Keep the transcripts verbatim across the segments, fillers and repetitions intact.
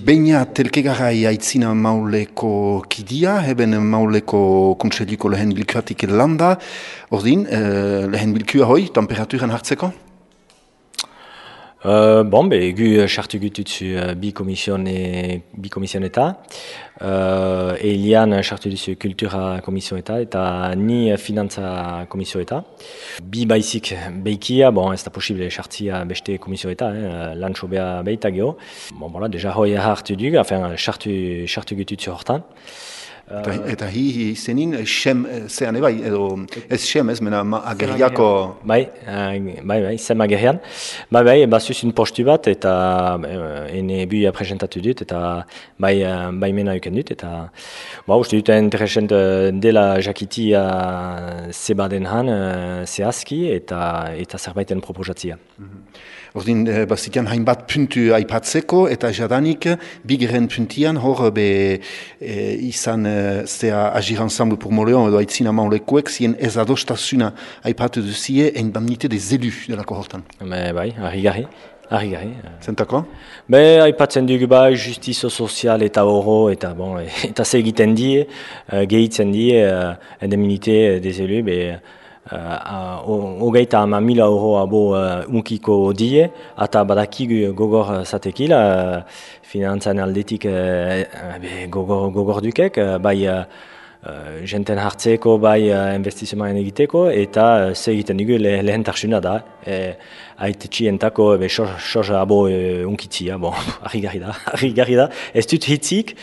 Beina telkegarai aitzina mauleko kidia, heben mauleko kontseiliko lehen bilkuatik landa. Ordin, eh, lehen bilkua hoi, temperaturan hartzeko? Uh, bon, be, gu chartu gututzu uh, bi komisione, bi komisioneta. Uh, Elian chartu duzu kultura komisioneta eta ni finantza komisioneta. Bi baizik beikia, bon, ez da posible chartia beste komisioneta, eh, lan sobea beita geho. Bon, voilà, deja hoi hartu dug, enfin, chartu, chartu gututzu hortan. Eta, eta hi izenin, xem zean ebai, edo ez xem ez, mena agerriako... Bai, bai, bai, zem agerrian. Bai, bai, bazuzun postu bat, eta ene buia presentatu dut, eta bai, bai mena euken dut, eta ba, uste dut interesent dela jakitia zebaden han, zehazki, eta, eta zerbaiten proposatzia. Ordin, bazitian hainbat puntu aipatzeko, eta jadanik, bigeren puntian, hor be e, izan zea Agir Ensemble pour Moléon edo aitzina maulekuek, zien ez adostasuna aipatu duzie indemnité des élus delako hortan. Me, bai, harri-garri. Harri-garri. Zentako? Be, aipatzen dugu bai, justizo sozial eta oro, eta bon, eta ze egiten die, gehitzen die, indemnité des élus, be, hogeita ama mila euro abo unkiko die, eta badakigu gogor zatekila, finantzan aldetik gogor, gogor dukek, bai jenten hartzeko, bai investizioan egiteko, eta ze egiten dugu le, lehen tarsuna da. E, Aite txientako soja abo unkitzia, bon, harri-garri da, harri-garri da. Ez dut hitzik,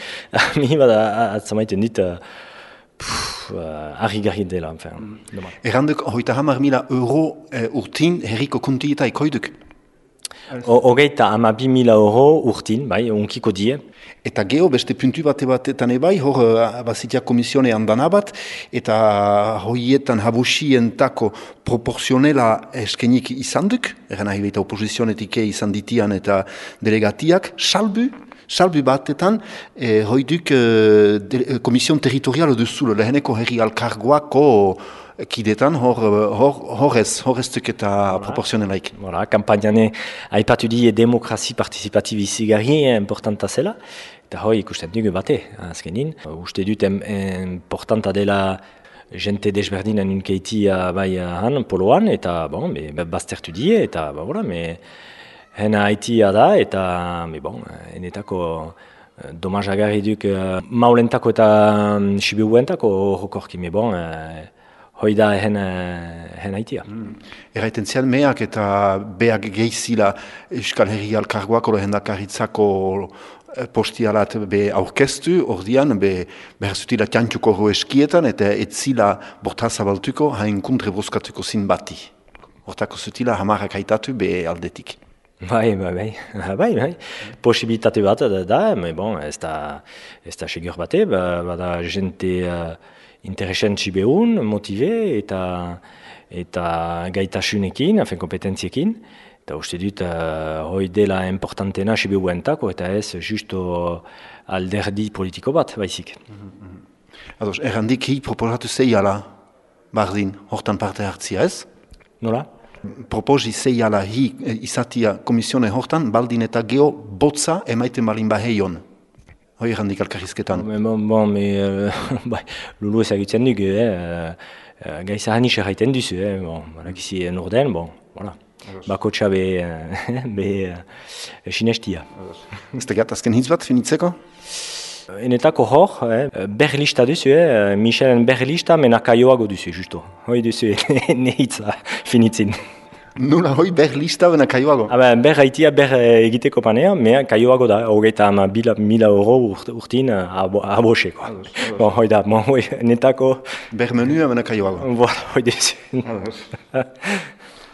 mi bada atzamaiten dit, harri-garri dela, enfin. Erranduk, hoita hamar mila euro urtin herriko kontieta ikoiduk? Hogeita ama bi mila euro urtin, bai, unkiko die. Eta geho, beste puntu bate batetan ebai, hor bazitia komisione handan abat, eta hoietan habusientako proporzionela eskenik izan duk, eran nahi baita oposizionetik izan ditian eta delegatiak, salbu, salbu batetan, eh, hoiduk eh, komision territorial duzulo, leheneko herri alkargoako kidetan, hor, hor, horrez, horreztuk eta voilà. Proporzionelaik. Voilà, kampainane aipatu die demokrazi participative izigarri importanta zela, eta hoi ikusten dugu bate, azkenin. Uste dut importanta dela jente desberdinen unkeitia bai han, poloan, eta bon, be, baztertu die, eta ba, voilà, me, hena haitia da, eta me, bon, enetako domajagarri duk maulentako eta sibiuentako horrokorki, me bon, hoi da hen, hen haitia. Mm. Erraiten zian meak eta beak gehizila Euskal Herri Alkargoak oro hendakaritzako postialat be aurkeztu, ordian be behazutila tiantuko roeskietan eta etzila bortazabaltuko hain kontre boskatuko zin bati. Hortako zutila hamarrak haitatu be aldetik. Bai, bai, bai, bai, bai. Posibilitate bat da, da me bon, ez da, ez da segur bate, bada jente uh, interesentzi behun, motive eta eta gaitasunekin, afen kompetentziekin. Eta uste dut, uh, hoi dela importantena sibehuentako, eta ez justo alderdi politiko bat, baizik. Mm-hmm. Ados, errandik hi proposatu zeiala, bardin, hortan parte hartzia ez? Nola? Proposi zeiala hi izatia komisione hortan, baldin eta geho botza emaiten balin baheion. Hoi errandik alkarrizketan. Bon, bon, me, uh, bai, lulu ezagutzen dugu, eh? Uh, Gaiza hanis erraiten duzu, eh? Bon, balakizi norden, bon, voilà. Bakotxa be, be uh, sinestia. Ez tegat, azken hitz bat, finitzeko? Enetako hor, eh? berlista duzu, eh? Michelen berlista, mena kaioago duzu, justo. Hoi duzu, ne hitza finitzin. Nula hoi berlista bena kaioago? Ber haitia ber egiteko panea, mea kaioago da, hogeita ama mila euro urtin aboseko. Bon, hoi da, bon, hoi, netako... Ber menua bena kaioago? Voilà, hoi duzu.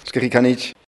Eskerrik anitz.